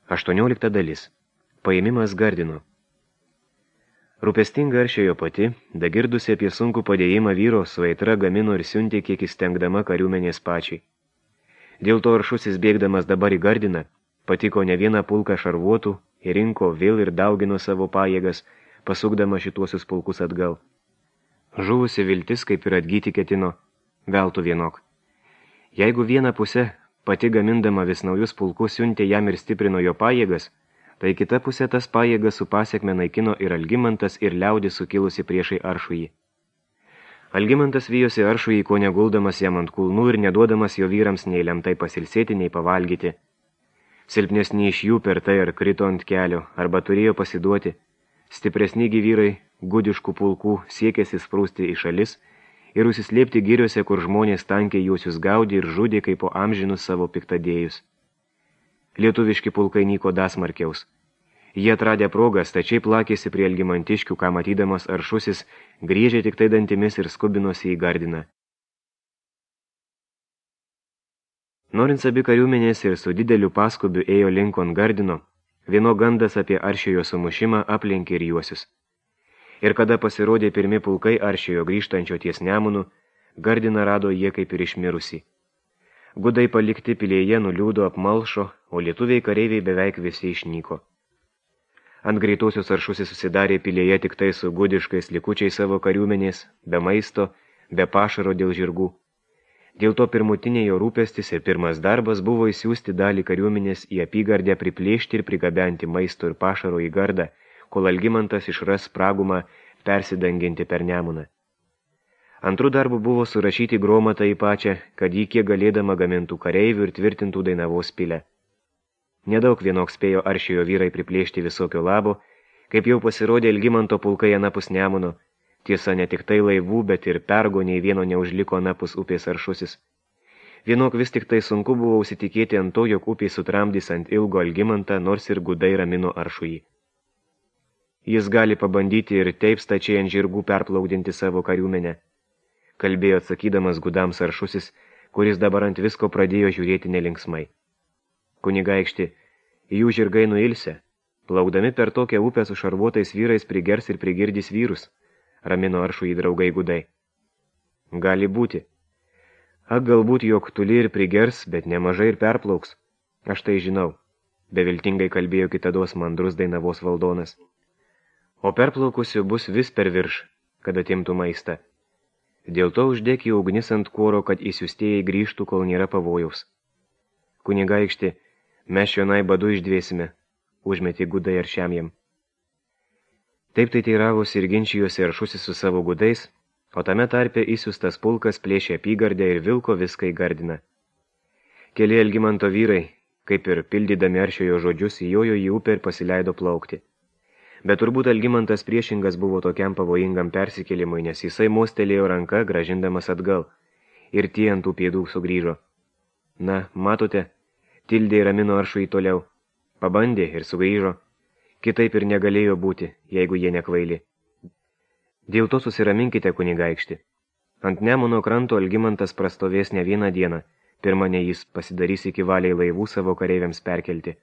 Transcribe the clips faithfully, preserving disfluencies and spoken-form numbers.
Aštuoniolikta dalis. Paėmimas Gardino. Rūpestinga Aršiojo pati, dagirdusi apie sunkų padėjimą vyro, su aitra gamino ir siuntė kiek įstengdama kariuomenės pačiai. Dėl to Aršusis bėgdamas dabar į Gardiną, patiko ne vieną pulką šarvuotų, rinko vėl ir daugino savo pajėgas, pasukdama šituosius pulkus atgal. Žuvusi viltis, kaip ir atgyti ketino, veltų vienok. Jeigu vieną pusę, pati gamindama vis naujus pulkus siuntė jam ir stiprino jo pajėgas, tai kita pusė tas pajėgas su pasiekme naikino ir Algimantas ir liaudis sukilusi priešai Aršųjį. Algimantas vijosi Aršųjį, ko neguldamas jam ant kulnų ir neduodamas jo vyrams nei lemtai pasilsėti, nei pavalgyti. Silpnesni iš jų per tai ar krito ant kelio, arba turėjo pasiduoti. Stipresni vyrai, gudiškų pulkų, siekėsi sprūsti į šalis ir užsislėpti giriuose, kur žmonės tankiai juosius gaudė ir žudė kaip po amžinus savo piktadėjus. Lietuviški pulkai nyko dasmarkiaus. Jie atradę progą stačiai plakėsi prie Algimantiškių, ką matydamas Aršusis, griežė tik tai dantimis ir skubinosi į Gardiną. Norint abi kariuomenės ir su dideliu paskubiu ėjo linkon Gardino, vieno gandas apie Aršiojo sumušimą aplenkė ir juosius. Ir kada pasirodė pirmi pulkai Aršiojo grįžtančio ties Nemunu, Gardiną rado jie kaip ir išmirusi. Gudai palikti pilėje nuliūdo apmalšo, o lietuviai kareiviai beveik visi išnyko. Ant greitosios Aršusis susidarė pilėje tik tai su gudiškais likučiais savo kariuomenės, be maisto, be pašaro dėl žirgų. Dėl to pirmutinė jo rūpestis ir pirmas darbas buvo įsiųsti dalį kariuomenės į apygardę priplėšti ir prigabenti maisto ir pašaro į Gardą, kol Algimantas išras spragumą persidanginti per Nemuną. Antrų darbų buvo surašyti Gromatą į pačią, kad jį kiek galėdama gamintų kareivių ir tvirtintų Dainavos pilę. Nedaug vienok spėjo Aršiojo vyrai priplėšti visokio labo, kaip jau pasirodė Algimanto pulkai anapus Nemuno. Tiesa, ne tik tai laivų, bet ir pergo nei vieno neužliko anapus upės Aršusis. Vienok vis tik tai sunku buvo užsitikėti ant to, jog upė sutramdys ant ilgo Algimantą, nors ir gudai ramino Aršųjį. Jis gali pabandyti ir taip stačiai ant žirgų perplaukdinti savo kariuomenę, kalbėjo atsakydamas gudams Aršusis, kuris dabar ant visko pradėjo žiūrėti nelinksmai. Kunigaikšti, jų žirgai nuilsę, plaukdami per tokią upę su šarvuotais vyrais prigers ir prigirdys vyrus, ramino Aršųjį draugai gudai. Gali būti. Ak, galbūt jog tuli ir prigers, bet nemažai ir perplauks. Aš tai žinau, beviltingai kalbėjo kitados mandrus Dainavos valdonas. O perplaukusių bus vis per virš, kad atimtų maistą. Dėl to uždėk į ugnis ant kuoro, kad įsiustėjai grįžtų, kol nėra pavojaus. Kunigaikšti, mes šionai badu išdvėsime, užmetė gudai Aršiamjam. Taip tai teiravosi ir ginčijosi Aršusis su savo gudais, o tame tarpe įsiustas pulkas plėšė apygardę ir vilko viską į Gardiną. Keli Algimanto vyrai, kaip ir pildydami Aršiojo žodžius, įjojo į upę ir pasileido plaukti. Bet turbūt Algimantas priešingas buvo tokiam pavojingam persikėlimui, nes jisai mostelėjo ranka, gražindamas atgal, ir tie ant tų pėdų sugrįžo. Na, matote, tildė ir ramino Aršųjį toliau. Pabandė ir sugrįžo. Kitaip ir negalėjo būti, jeigu jie nekvaili. Dėl to susiraminkite, kunigaikšti. Ant Nemuno kranto Algimantas prastovės ne vieną dieną, pirma ne jis pasidarys iki valiai laivų savo kareiviams perkelti.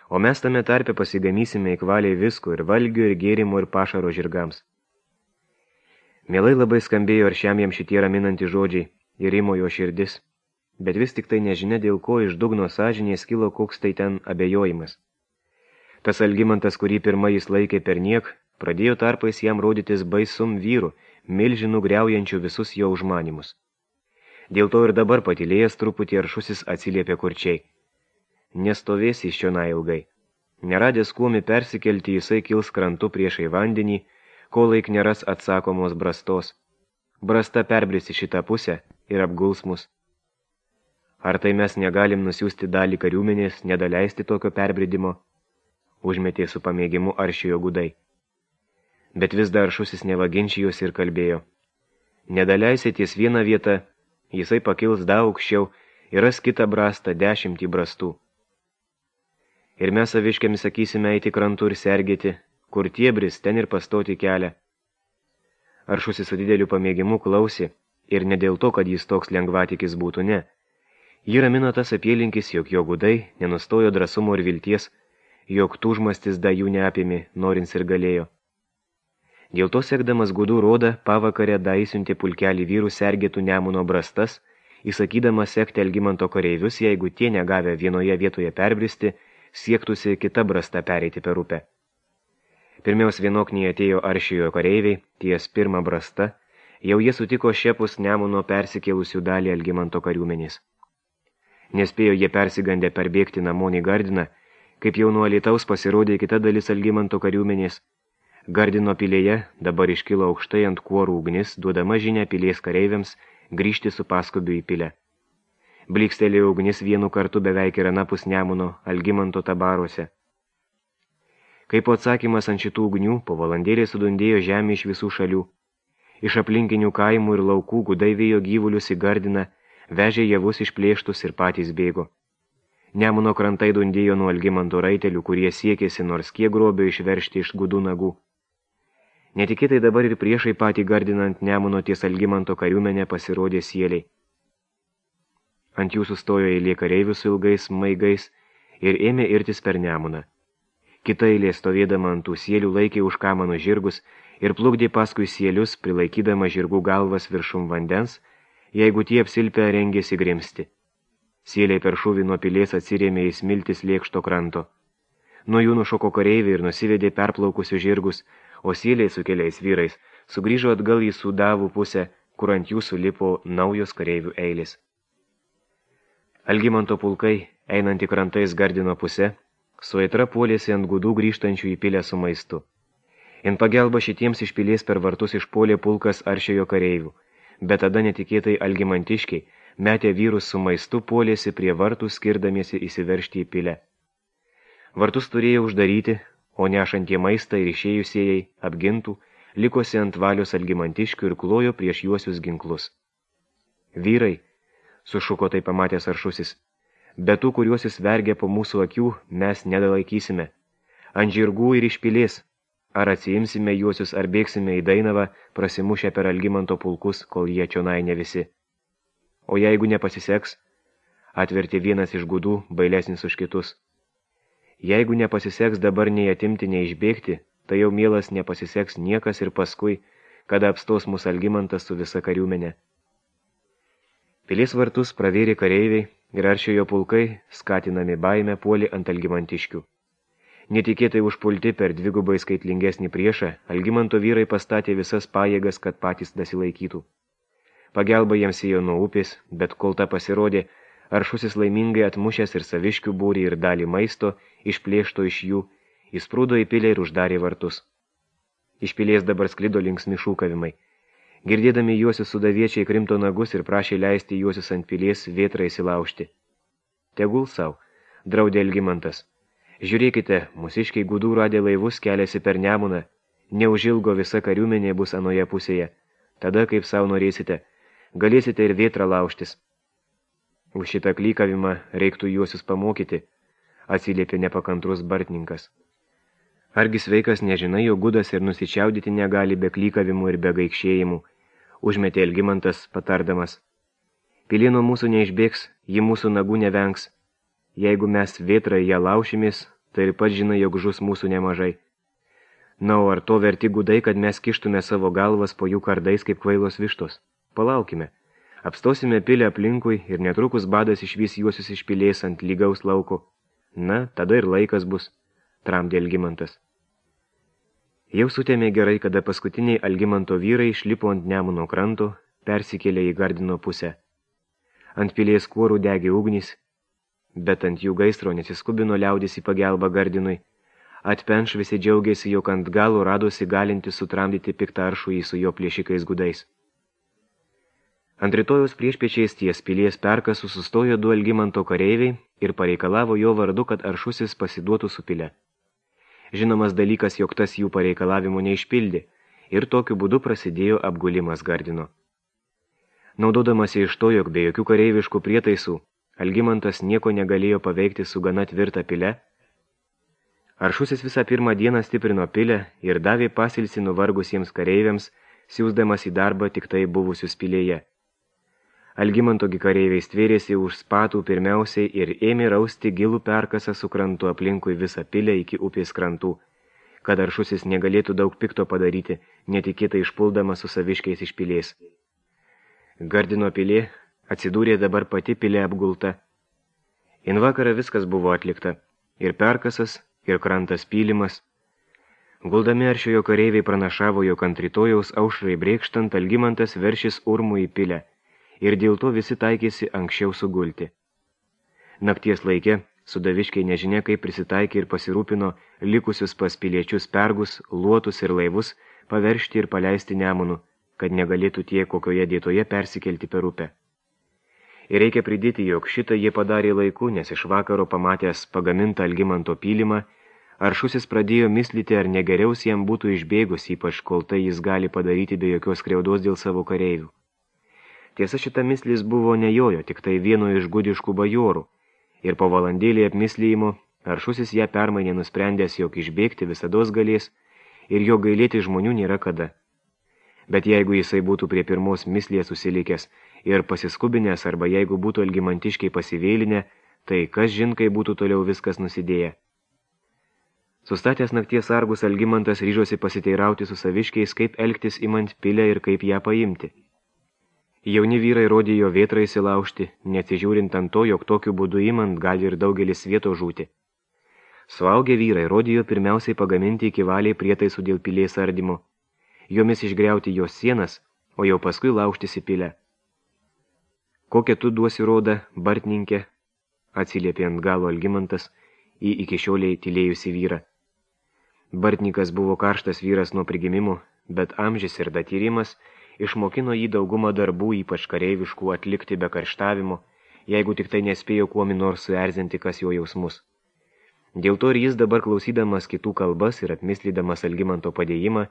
O mes tame tarpe pasigamysime į kvaliai visko ir valgių, ir gėrimo, ir pašaro žirgams. Mielai labai skambėjo Aršiamjam šitie raminanti žodžiai ir rimo jo širdis, bet vis tik tai nežinia, dėl ko iš dugno sąžinės kilo koks tai ten abejojimas. Tas Algimantas, kurį pirma jis laikė per niek, pradėjo tarpais jam rodytis baisum vyru, milžinų griaujančių visus jo užmanimus. Dėl to ir dabar patylėjęs truputį Aršusis atsiliepė kurčiai. Nestovės iš čionai ilgai. Neradęs kuomi persikelti, jisai kils krantu priešai vandenį, kol laik neras atsakomos brastos. Brasta perbrisi šitą pusę ir apguls mus. Ar tai mes negalim nusiųsti dalį kariuomenės, nedaleisti tokio perbridimo? Užmetė su pamėgimu Aršiojo gudai. Bet vis dar Aršusis nevaginčijosi ir kalbėjo. Nedaleisi ties vieną vietą, jisai pakils daug aukščiau ir ras kitą brastą dešimtį brastų. Ir mes saviškiams sakysime eiti krantu ir sergėti, kur tiebris, ten ir pastoti kelią. Aršusis su dideliu pamėgimu klausė, ir ne dėl to, kad jis toks lengvatikis būtų, ne. Jį ramino tas apylinkis, jog jo gudai nenustojo drąsumo ir vilties, jog tūžmastis da jų neapimi, norins ir galėjo. Dėl to sekdamas gudų rodą, pavakarę da įsiuntė pulkelį vyrų sergėtų Nemuno brastas, įsakydamas sekti Algimanto kareivius, jeigu tie negavę vienoje vietoje perbristi, siektųsi kita brasta pereiti per upę. Pirmiaus vienokniai atėjo Aršijo kareiviai, ties pirmą brastą, jau jie sutiko šiepus Nemuno persikėlusių dalį Algimanto kariuomenės. Nespėjo jie persigandę perbėgti namon į Gardiną, kaip jau nuo Alytaus pasirodė kita dalis Algimanto kariuomenės. Gardino pilėje dabar iškilo aukštai ant kuorų ugnis, duodama žinią pilies kareiviams grįžti su paskubiu į pilę. Blykstelėjo ugnis vienu kartu beveik ir anapus Nemuno Algimanto tabaruose. Kaip atsakymas ant šitų ugnių, po valandėlį sudundėjo žemė iš visų šalių. Iš aplinkinių kaimų ir laukų gudai vėjo gyvulius į Gardiną, vežė javus išplėštus ir patys bėgo. Nemuno krantai dundėjo nuo Algimanto raitelių, kurie siekėsi nors kiek grobio išveršti iš gudų nagų. Netikėtai dabar ir priešai patį Gardinant Nemuno ties Algimanto kariuomenę pasirodė sieliai. Ant jų sustojo eilė kareivių su ilgais maigais ir ėmė irtis per Nemuną. Kita eilė stovėdama ant tų sielių laikė už kamanų žirgus ir plukdė paskui sielius, prilaikydama žirgų galvas viršum vandens, jeigu tie apsilpę rengėsi grimsti. Sieliai per šūvį nuo pilės atsirėmė į smiltis lėkšto kranto. Nuo jų nušoko kareiviai ir nusivedė perplaukusius žirgus, o sieliai su keliais vyrais sugrįžo atgal į Sudavų pusę, kur ant jų sulipo naujos kareivių eilės. Algimanto pulkai, einant į krantais Gardino pusę, su aitra puolėsi ant gudų grįžtančių į pilę su maistu. In pagelba šitiems iš pilies per vartus išpuolė pulkas Aršiojo kareivių, bet tada netikėtai algimantiškiai metė vyrus su maistu puolėsi prie vartų skirdamiesi įsiveržti į pilę. Vartus turėjo uždaryti, o nešantie maistą ir išėjusieji apgintų, likosi ant valios algimantiškių ir klojo prieš juosius ginklus. Vyrai, sušuko tai pamatęs Aršusis, bet tų, kuriuos jis vergia po mūsų akių, mes nedalaikysime. Ant žirgų ir iš pilės, ar atsiimsime juosius, ar bėgsime į Dainavą, prasimušę per Algimanto pulkus, kol jie čionai ne visi. O jeigu nepasiseks, atvertė vienas iš gudų, bailesnis už kitus. Jeigu nepasiseks dabar nei atimti, nei išbėgti, tai jau mielas nepasiseks niekas ir paskui, kada apstos mūsų Algimantas su visa kariuomenė. Pilies vartus pravėrė kareiviai ir Aršiojo pulkai, skatinami baime, puolė ant algimantiškių. Netikėtai užpulti per dvigubai skaitlingesnį priešą, Algimanto vyrai pastatė visas pajėgas, kad patys dasilaikytų. Pagelba jiems ėjo nuo upės, bet kol ta pasirodė, Aršusis laimingai atmušęs ir saviškių būrį ir dalį maisto, išplėšto iš jų, įsprūdo į pilę ir uždarė vartus. Iš pilies dabar sklido linksmi šūkavimai. Girdėdami juosius sudaviečiai krimto nagus ir prašė leisti juosius ant pilies vėtrą įsilaužti. Tegul sau, draudė Algimantas. Žiūrėkite, mūsiškiai gudų radę laivus keliasi per Nemuną, neužilgo visa kariuomenė bus anoje pusėje. Tada, kaip sau norėsite, galėsite ir vėtrą laužtis. Už šitą klykavimą reiktų juosius pamokyti, atsiliepė nepakantrus bartininkas. Argi sveikas nežinai, jo gudas ir nusičiaudyti negali be klykavimų ir be gaikšėjimų, užmetė Algimantas patardamas. Pilė nuo mūsų neišbėgs, ji mūsų nagų nevengs. Jeigu mes vėtrą ją laušimės, tai ir pats žinai, jog žus mūsų nemažai. Na, o ar to verti gudai, kad mes kištume savo galvas po jų kardais kaip kvailos vištos? Palaukime. Apstosime pilę aplinkui ir netrukus badas išvys juosius iš pilės ant lygaus lauko. Na, tada ir laikas bus, tramdė Algimantas. Jau sutėmė gerai, kada paskutiniai Algimanto vyrai išlipo ant Nemuno kranto, persikėlė į Gardino pusę. Ant pilės kuorų degė ugnys, bet ant jų gaisro nesiskubino liaudis į pagelbą Gardinui. Atpenš visi džiaugiasi, jog ant galo radosi galinti sutramdyti piktą Aršųjį su jo plėšikais gudais. Ant rytojos priešpiečiais ties pilies perkasų sustojo du Algimanto kareiviai ir pareikalavo jo vardu, kad Aršusis pasiduotų su pile. Žinomas dalykas, jog tas jų pareikalavimų neišpildė ir tokiu būdu prasidėjo apgulimas Gardino. Naudodamasi iš to, jog be jokių kareiviškų prietaisų, Algimantas nieko negalėjo paveikti su gana tvirta pile, Aršusis visą pirmą dieną stiprino pilę ir davė pasilsį nuvargusiems kareiviams, siūsdamas į darbą tik tai buvusius pilėje. Algimantogi kareiviai stvėrėsi už spatų pirmiausiai ir ėmė rausti gilų perkasą su krantu aplinkui visą pilę iki upės krantų, kad Aršusis negalėtų daug pikto padaryti, netikėtai išpuldamas su saviškiais iš pilės. Gardino pilė atsidūrė dabar pati pilė apgulta. In vakarą viskas buvo atlikta, ir perkasas, ir krantas pylimas. Guldami Aršiojo kareiviai pranašavo, jog ant rytojaus aušrai brėkštant Algimantas veršis urmų į pilę, ir dėl to visi taikėsi anksčiau sugulti. Nakties laike sudaviškiai nežinia kaip prisitaikė ir pasirūpino likusius pas piliečius pergus, luotus ir laivus paveršti ir paleisti Nemunu, kad negalėtų tie kokioje dėtoje persikelti per upę. Ir reikia pridėti, jog šitą jie padarė laiku, nes iš vakaro pamatęs pagamintą Algimanto pylimą, Aršusis pradėjo mislyti, ar negeriaus jam būtų išbėgus, ypač kol tai jis gali padaryti be jokios skriaudos dėl savo kareivių. Tiesa, šita mislis buvo ne jojo, tik tai vieno iš gudiškų bajorų, ir po valandėlį apmislyjimo Aršusis ją permainė nusprendęs, jog išbėgti visados galės ir jo gailėti žmonių nėra kada. Bet jeigu jisai būtų prie pirmos mislės susilikęs ir pasiskubinęs, arba jeigu būtų algimantiškiai pasivėlinę, tai kas žin, kai būtų toliau viskas nusidėję. Sustatęs nakties sargus Algimantas ryžosi pasiteirauti su saviškiais, kaip elgtis imant pilę ir kaip ją paimti. Jauni vyrai rodė jo vėtrą įsilaužti, neatsižiūrint ant to, jog tokiu būdu imant gali ir daugelis vieto žūti. Suaugę vyrai rodė jo pirmiausiai pagaminti iki valiai prietaisų dėl pilės ardymo, jomis išgriauti jos sienas, o jau paskui laužtis į pilę. Kokią tu duosi rodą, bartininkė, atsiliepė ant galo Algimantas į iki šioliai tylėjusi vyrą. Bartininkas buvo karštas vyras nuo prigimimo, bet amžius ir datyrimas išmokino jį daugumą darbų, ypač kareiviškų, atlikti be karštavimo, jeigu tik tai nespėjo kuomi nors suerzinti kas jo jausmus. Dėl to ir jis dabar klausydamas kitų kalbas ir apmislydamas Algimanto padėjimą,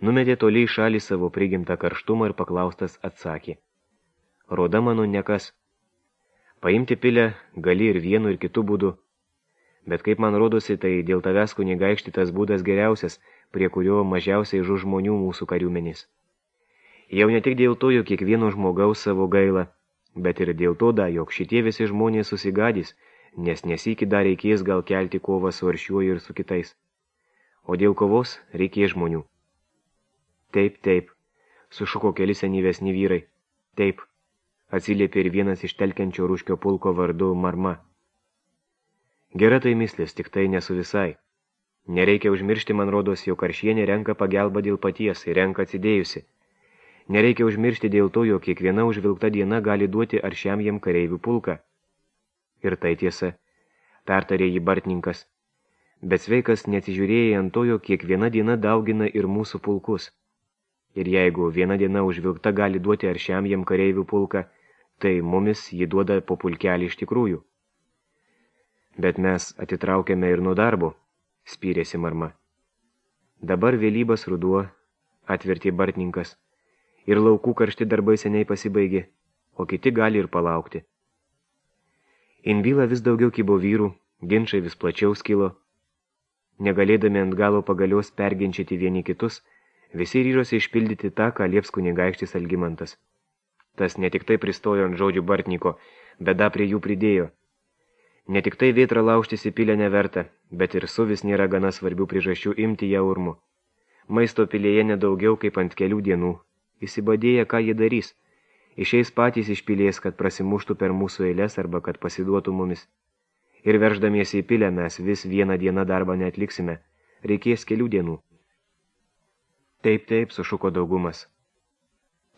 numetė toliai šalį savo prigimtą karštumą ir paklaustas atsakė. Roda mano nekas. Paimti pilę gali ir vienu ir kitu būdu, bet kaip man rodosi, tai dėl tavęs kunigaikšti tas būdas geriausias, prie kurio mažiausiai žu žmonių mūsų kariuomenės. Jau ne tik dėl to, jog kiekvieno žmogaus savo gaila, bet ir dėl to, da, jog šitie visi žmonės susigadys, nes nesikį dar reikės gal kelti kovą su Aršiuoju ir su kitais. O dėl kovos reikės žmonių. Taip, taip, sušuko keli senyvesni vyrai. Taip, atsiliepė ir vienas iš telkiančio Ruškio pulko vardu Marma. Gera tai mislis, tik tai nesu visai. Nereikia užmiršti, man rodos, jog Aršienė renka pagelbą dėl paties ir renka atsidėjusi. Nereikia užmiršti dėl to, jog kiekviena užvilkta diena gali duoti Aršiam jam kareivių pulką. Ir tai tiesa, pertarė jį bartininkas. Bet sveikas neatsižiūrėjai ant to, jog kiekviena diena daugina ir mūsų pulkus. Ir jeigu viena diena užvilkta gali duoti Aršiam jam kareivių pulką, tai mumis jį duoda po pulkelį iš tikrųjų. Bet mes atitraukėme ir nuo darbo, spyrėsi Marma. Dabar vėlybas ruduo, atvertė bartininkas, ir laukų karšti darbai seniai pasibaigė, o kiti gali ir palaukti. Inbyla vis daugiau kibo vyrų, ginčai vis plačiau skilo. Negalėdami ant galo pagalios perginčyti vieni kitus, visi ryžosi išpildyti tą, ką lieps kunigaikštis Algimantas. Tas ne tik tai pristojo ant žodžių bartniko, bet da prie jų pridėjo. Ne tik tai vėtrą laužtis į pilę neverta, bet ir suvis nėra gana svarbių priežasčių imti ją urmu. Maisto pilėje nedaugiau kaip ant kelių dienų. Įsibadėję, ką jie darys. Išeis patys iš pilės, kad prasimuštų per mūsų eilės arba kad pasiduotų mumis. Ir verždamiesi į pilę mes vis vieną dieną darbą neatliksime. Reikės kelių dienų. Taip, taip, sušuko daugumas.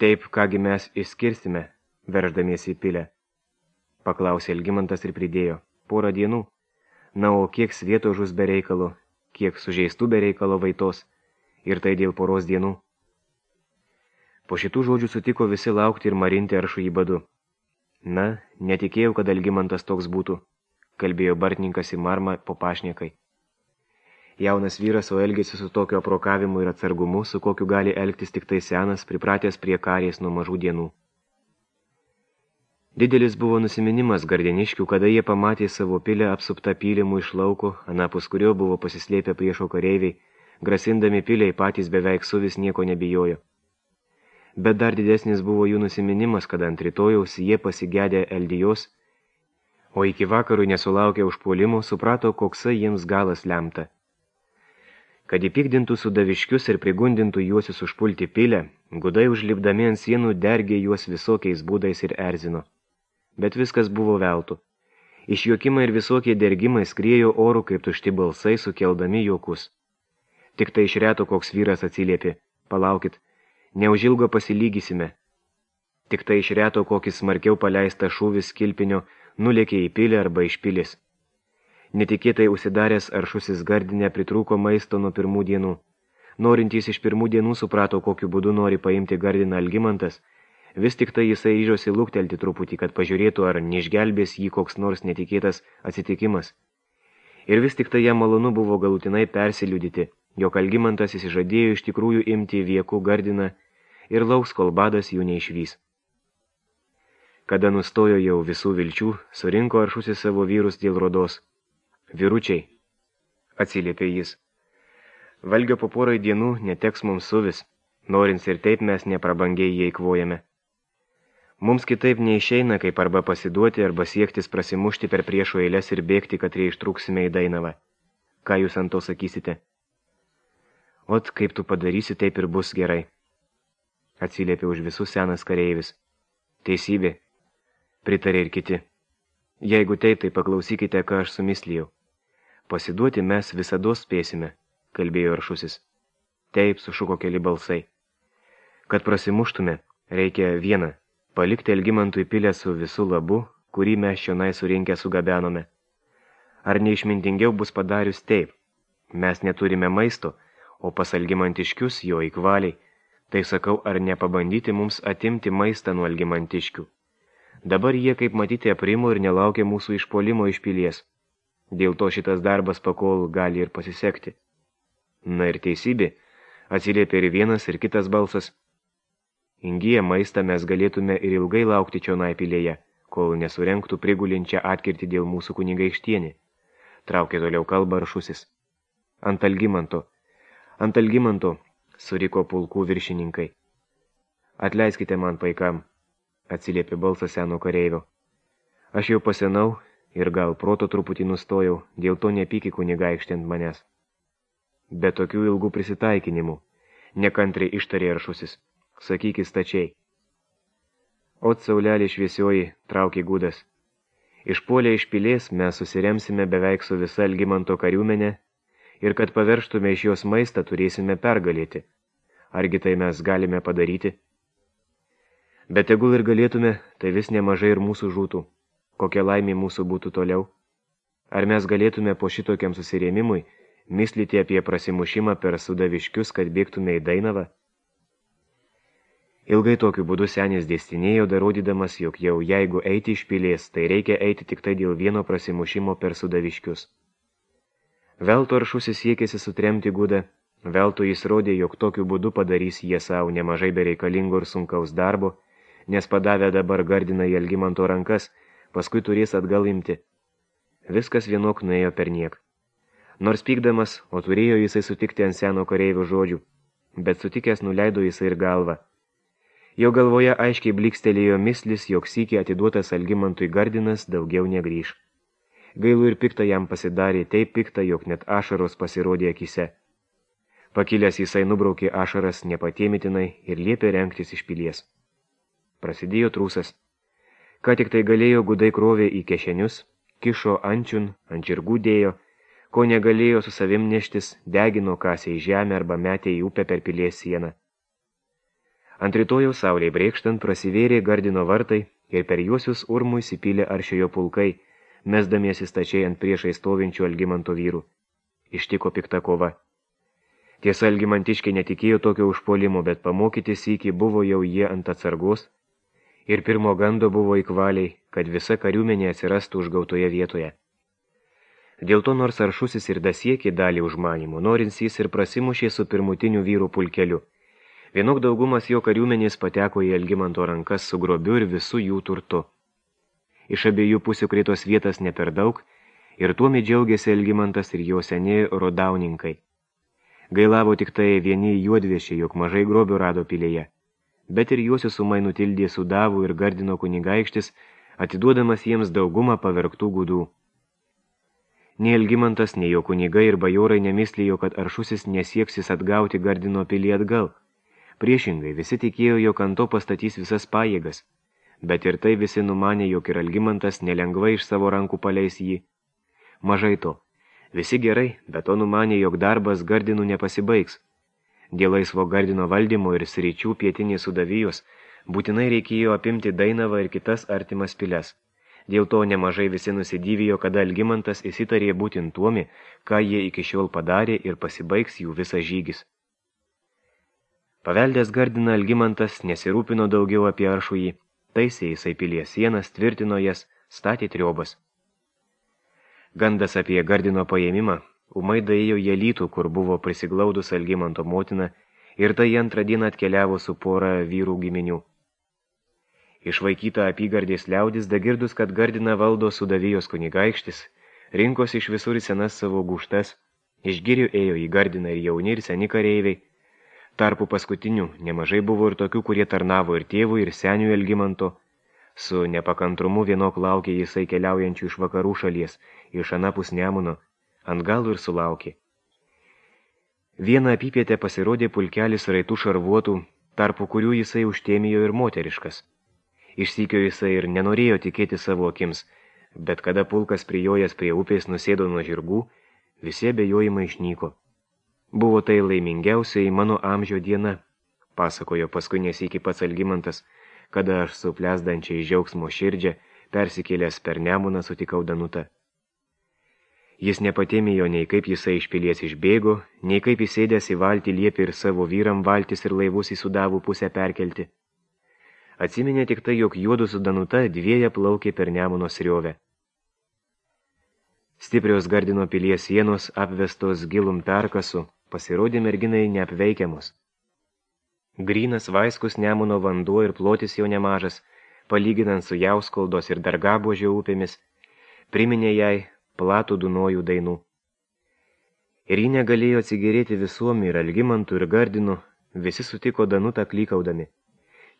Taip, kągi mes išskirsime, verždamiesi į pilę. Paklausė Algimantas ir pridėjo. Porą dienų. Na, o kiek svieto žus be reikalo, kiek sužeistų be reikalo vaitos. Ir tai dėl poros dienų. Po šitų žodžių sutiko visi laukti ir marinti Aršų į badu. Na, netikėjau, kad Algimantas toks būtų, kalbėjo bartininkas į Marmą po pašnekai. Jaunas vyras, o elgėsi su tokio aprokavimu ir atsargumu, su kokiu gali elgtis tik tai senas, pripratęs prie karės nuo mažų dienų. Didelis buvo nusiminimas gardeniškių, kada jie pamatė savo pilę apsuptą pylimų iš lauko, anapus kurio buvo pasislėpę priešo kareiviai, grasindami piliai patys beveik suvis nieko nebijojo. bet dar didesnis buvo jų nusiminimas, kad ant rytojaus jie pasigedė Eldijos, o iki vakarų nesulaukę užpuolimo, suprato, koksai jiems galas lemta. Kad įpykdintų sudaviškius ir prigundintų juosius užpulti pilę, gudai užlipdami ant sienų dergė juos visokiais būdais ir erzino. Bet viskas buvo veltui. Išjuokimai ir visokie dergimai skriejo oru kaip tušti balsai, sukeldami juokus. Tik tai iš reto koks vyras atsiliepė, palaukit, neužilgo pasilygysime. Tik tai iš reto kokis smarkiau paleista šūvis kilpinio nulėkė į pilį arba iš pilis. Netikėtai užsidaręs aršusis gardinė pritrūko maisto nuo pirmų dienų. Norintys iš pirmų dienų suprato, kokiu būdu nori paimti gardiną Algimantas, vis tik tai jisai ryžosi luktelti truputį, kad pažiūrėtų, ar neišgelbės jį koks nors netikėtas atsitikimas. Ir vis tik tai jam malonu buvo galutinai persiliudyti, jog Algimantas įsižadėjo iš tikrųjų imti viekų gardiną ir lauks, kol badas jų neišvys. Kada nustojo jau visų vilčių, surinko aršusis savo vyrus dėl rodos. Vyručiai, atsiliepė jis, valgio po porai dienų neteks mums suvis, norins ir taip mes neprabangiai jį eikvojame. Mums kitaip neišeina, kaip arba pasiduoti, arba siektis prasimušti per priešo eilės ir bėgti, kad ištrūksime į Dainavą. Ką jūs ant to sakysite? Ot, kaip tu padarysi, taip ir bus gerai. Atsiliepė už visus senas kareivis. Teisybė, pritarė ir kiti. Jeigu taip, tai paklausykite, ką aš sumislijau. Pasiduoti mes visados spėsime, kalbėjo aršusis. Taip, sušuko keli balsai. Kad prasimuštume, reikia vieną, palikti Algimantui pilę su visų labu, kurį mes čionai surinkę sugabenome. Ar neišmintingiau bus padarius taip? Mes neturime maisto, o pas Algimantiškius jo įkvaliai. Tai sakau, ar nepabandyti mums atimti maistą nuo Algimantiškių. Dabar jie, kaip matyti, aprimo ir nelaukia mūsų išpuolimo iš pilies. Dėl to šitas darbas pakol gali ir pasisekti. Na ir teisybė, atsiliepė ir vienas ir kitas balsas. Ingiję maistą mes galėtume ir ilgai laukti čionai pilėje, kol nesurenktų prigulinčią atkirtį dėl mūsų kunigaikštienį. Traukė toliau kalbą aršusis. Ant Algimanto, ant Algimanto, suriko pulkų viršininkai. Atleiskite man, paikam, atsiliepė balsas seno kareivio. Aš jau pasenau ir gal proto truputį nustojau, dėl to nepyki kunigaikštį ant manęs. Be tokių ilgų prisitaikinimų, nekantriai ištarė aršusis, sakykis stačiai. Ot saulelė šviesioji, traukė gudas. Išpuolę iš pilės mes susiremsime beveik su visa Algimanto kariuomenė ir kad paverštume iš jos maistą turėsime pergalėti. Argi tai mes galime padaryti? Bet tegul ir galėtume, tai vis nemažai ir mūsų žūtų. Kokia laimė mūsų būtų toliau? Ar mes galėtume po šitokiam susirėmimui mislyti apie prasimušimą per sudaviškius, kad bėgtume į Dainavą? Ilgai tokiu būdu senis dėstinėjo, darodydamas, jog jau jeigu eiti iš pilės, tai reikia eiti tik tai dėl vieno prasimušimo per sudaviškius. Velto aršusis siekėsi sutremti gudą, velto jis rodė, jog tokiu būdu padarys jie savo nemažai bereikalingo ir sunkaus darbo, nes padavę dabar gardiną į Algimanto rankas, paskui turės atgal imti. Viskas vienok nuėjo per niek. Nors pykdamas, o turėjo jisai sutikti ant seno kareivio žodžių, bet sutikęs nuleido jisai ir galvą. Jo galvoje aiškiai blikstelėjo mislis, jog sykį atiduotas Algimantui gardinas daugiau negrįš. Gailų ir pikta jam pasidarė, taip pikta, jog net ašaros pasirodė akise. Pakilęs jisai nubraukė ašaras nepatėmitinai ir liepė rengtis iš pilies. Prasidėjo trūsas. Ką tik tai galėjo, gudai krovė į kešenius, kišo ančiun, ant žirgų dėjo, ko negalėjo su savim neštis, degino kasė į žemę arba metė į upę per pilies sieną. Ant rytojaus saulei brėkštant prasivėrė gardino vartai ir per juosius urmų įsipylė aršiojo pulkai, mesdamiesi stačiai ant priešai stovinčių Algimanto vyrų. Ištiko pikta kova. Tiesa, Algimantiškiai netikėjo tokio užpuolimo, bet pamokyti sykį buvo jau jie ant atsargos, ir pirmo gando buvo įkvaliai, kad visa kariuomenė atsirastų užgautoje vietoje. Dėl to nors aršusis ir dasiekė dalį užmanimų, norins jis ir prasimušė su pirmutiniu vyrų pulkeliu. Vienok daugumas jo kariuomenės pateko į Algimanto rankas su grobiu ir visų jų turtu. Iš abiejų pusių kritos vietas ne per daug, ir tuomi džiaugiasi Algimantas ir jo seni rodauninkai. Gailavo tik tai vieni juodviešiai, jog mažai grobių rado pilėje. bet ir juosius ūmai nutildė Sudavų ir Gardino kunigaikštis, atiduodamas jiems daugumą pavergtų gudų. Nei Algimantas, nei jo kunigai ir bajorai nemislėjo, kad Aršusis nesieksis atgauti Gardino pilį atgal. Priešingai, visi tikėjo, jog ant to pastatys visas pajėgas, bet ir tai visi numanė, jog ir Algimantas nelengvai iš savo rankų paleis jį. Mažai to. Visi gerai, bet to numanė, jog darbas Gardinų nepasibaigs. Dėl laisvo Gardino valdymo ir sričių pietinės Sudavijos būtinai reikėjo apimti Dainavą ir kitas artimas piles. Dėl to nemažai visi nusidyvijo, kada Algimantas įsitarė būtent tuomi, ką jie iki šiol padarė ir pasibaigs jų visas žygis. Paveldęs Gardiną Algimantas nesirūpino daugiau apie Aršųjį, taisė jisai pilies sienas, tvirtino jas, statė triobas. Gandas apie Gardino paėmimą ūmai daėjo į Alytų, kur buvo prisiglaudus Algimanto motina, ir tai antrą dieną atkeliavo su pora vyrų giminių. Išvaikyta apygardės liaudis, dagirdus, kad Gardiną valdo Sudavijos kunigaikštis, rinkosi iš visur senas savo gūštas, iš girių ėjo į Gardiną ir jauni ir seni kareiviai. Tarpu paskutinių nemažai buvo ir tokių, kurie tarnavo ir tėvui, ir seniui Algimanto. Su nepakantrumu vienok laukė jisai keliaujančių iš vakarų šalies, iš anapus Nemuno, ant galų ir sulaukė. Vieną apypietę pasirodė pulkelis raitų šarvuotų, tarpu kurių jisai užtėmijo ir moteriškas. Išsykio jisai ir nenorėjo tikėti savo akims, bet kada pulkas prijojęs prie upės nusėdo nuo žirgų, visi abejojimai išnyko. Buvo tai laimingiausiai mano amžio diena, pasakojo paskui nesykį pats Algimantas, kada aš su plesdančiai džiaugsmo širdžia persikėlęs per Nemuną sutikau Danutą. Jis nepatėmėjo nei kaip jisai iš pilies išbėgo, nei kaip įsėdęs į valtį liepė ir savo vyram valtis ir laivus į Sudavų pusę perkelti. Atsiminė tik tai, jog juodu su Danuta dvieja plaukė per Nemuno sriovę. Stiprios Gardino pilies sienos, apvestos gilum perkasu, pasirodė merginai neapveikiamos. Grynas vaiskus Nemuno vanduo ir plotis jau nemažas, palyginant su Jauskoldos ir Dargabuožio upėmis, priminė jai platų Dunojų dainų. Ir ji negalėjo atsigėrėti visuom ir Algimantų ir Gardinu, visi sutiko Danutą klykaudami.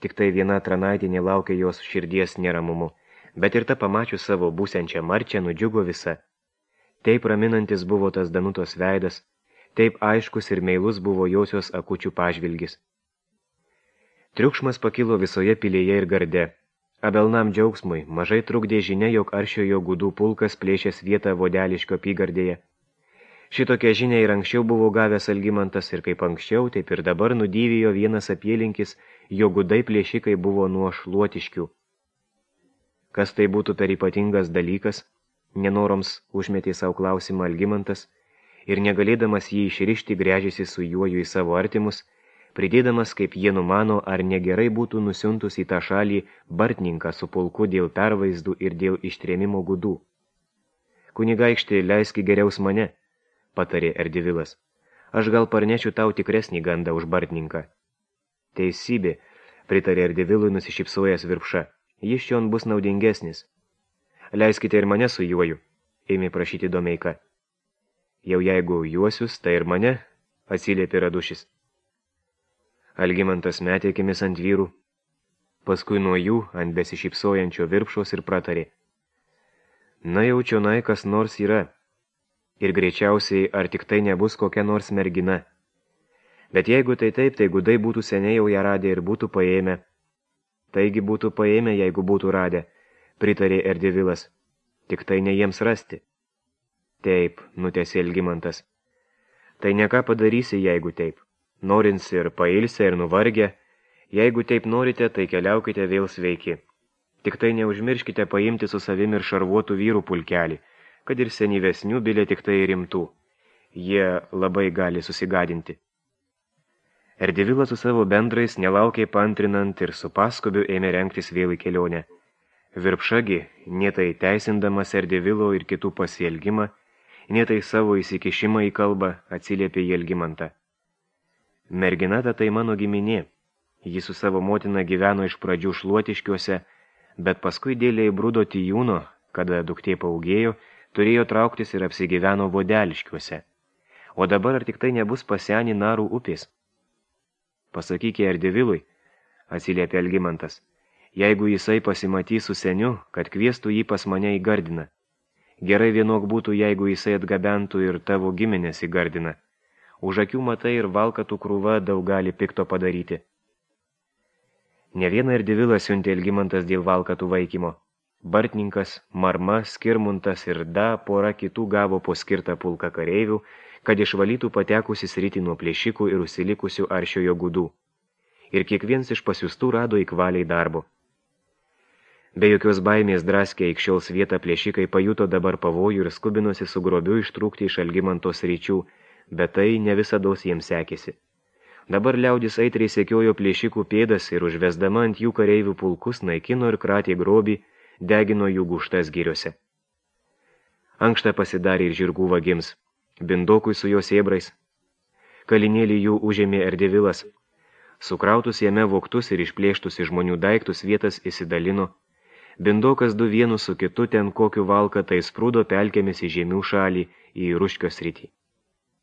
Tik tai viena tranaitė nelaukė jos širdies neramumu, bet ir ta pamačius savo būsiančią marčią nudžiugo visa. Taip raminantis buvo tas Danutos veidas, taip aiškus ir meilus buvo josios akučių pažvilgis. Triukšmas pakilo visoje pilėje ir garde. Abelnam džiaugsmui mažai trukdė žinia, jog Aršiojo gudų pulkas plėšęs vietą Vodeliškio apygardėje. Šitokią žinią ir anksčiau buvo gavęs Algimantas ir kaip anksčiau, taip ir dabar nudyvijo vienas apylinkis, jo gudai plėšikai buvo nuo Šluotiškių. Kas tai būtų per ypatingas dalykas, nenoroms užmetė savo klausimą Algimantas ir negalėdamas jį išrišti gręžėsi su juoju į savo artimus, pridėdamas, kaip jie numano, ar negerai būtų nusiuntus į tą šalį Bartninką su pulku dėl pervaizdų ir dėl ištrėmimo gudų. Kunigaikšti, leiski geriaus mane, patarė Erdivilas. Aš gal parnešiu tau tikresnį gandą už Bartninką. Teisybė, pritarė Erdivilui nusišypsojęs Virpša. Jis čion bus naudingesnis. Leiskite ir mane su juoju, ėmė prašyti Domeika. Jau jeigu juosius, tai ir mane, atsiliepė Radušis. Algimantas metė akimis ant vyrų, paskui nuo jų ant besišypsojančio Virpšos ir pratarė. Na jau čionai kas nors yra, ir greičiausiai ar tik tai nebus kokia nors mergina. Bet jeigu tai taip, tai gudai būtų seniai jau ją radę ir būtų paėmę. Taigi būtų paėmę, jeigu būtų radę, pritarė Erdivilas, tik tai ne jiems rasti. Taip, nutęsė Algimantas. Tai ne ką padarysi, jeigu taip. Norins ir pailsę ir nuvargę, jeigu taip norite, tai keliaukite vėl sveiki. Tik tai neužmirškite paimti su savimi ir šarvuotų vyrų pulkelį, kad ir senyvesnių bilė tik tai rimtų. Jie labai gali susigadinti. Erdivilas su savo bendrais nelaukiai paantrinant ir su paskubiu ėmė rengtis vėl į kelionę. Virpšagi, nietai teisindamas Erdivilo ir kitų pasielgimą, nietai savo įsikišimą į kalbą atsiliepė į Algimantą. Mergina tai mano giminė. Ji su savo motina gyveno iš pradžių Šluotiškiuose, bet paskui dėlė įbrūdo Tijūno, kada duktė paugėjo, turėjo trauktis ir apsigyveno Vodeliškiuose. O dabar ar tik tai nebus pasenį Narų upės? Pasakykė Erdivilui, atsiliepė Algimantas. Jeigu jisai pasimatys su seniu, kad kviestų jį pas mane į Gardiną. Gerai vienok būtų, jeigu jisai atgabentų ir tavo giminės į Gardiną. Už akių matai ir valkatų krūva daug gali pikto padaryti. Ne vieną ir divilą siuntė Algimantas dėl valkatų vaikymo. Bartninkas, Marma, Skirmuntas ir da pora kitų gavo po skirtą pulką kareivių, kad išvalytų patekusi sritį nuo plėšikų ir užsilikusių aršiojo gudų. Ir kiekvienas iš pasiųstų rado įkvaliai darbo. Be jokios baimės draskė aikščiaus vietą plėšikai pajuto dabar pavojų ir skubinosi su grobiu ištrūkti iš Algimantos ryčių, bet tai ne visados jiems sekėsi. Dabar liaudis aitriai sekiojo plėšikų pėdas ir užvesdama ant jų kareivių pulkus naikino ir kratė grobį, degino jų gūštas giriose. Ankšta pasidarė ir žirgų vagims, Bindokui su jos ėbrais. Kalinėlį jų užėmė Erdevilas. Sukrautus jame vogtus ir išplėštus iš žmonių daiktus vietas įsidalino. Bindokas du vienu su kitu ten kokiu valką tai sprūdo pelkėmis į žemių šalį į Ruškio sritį.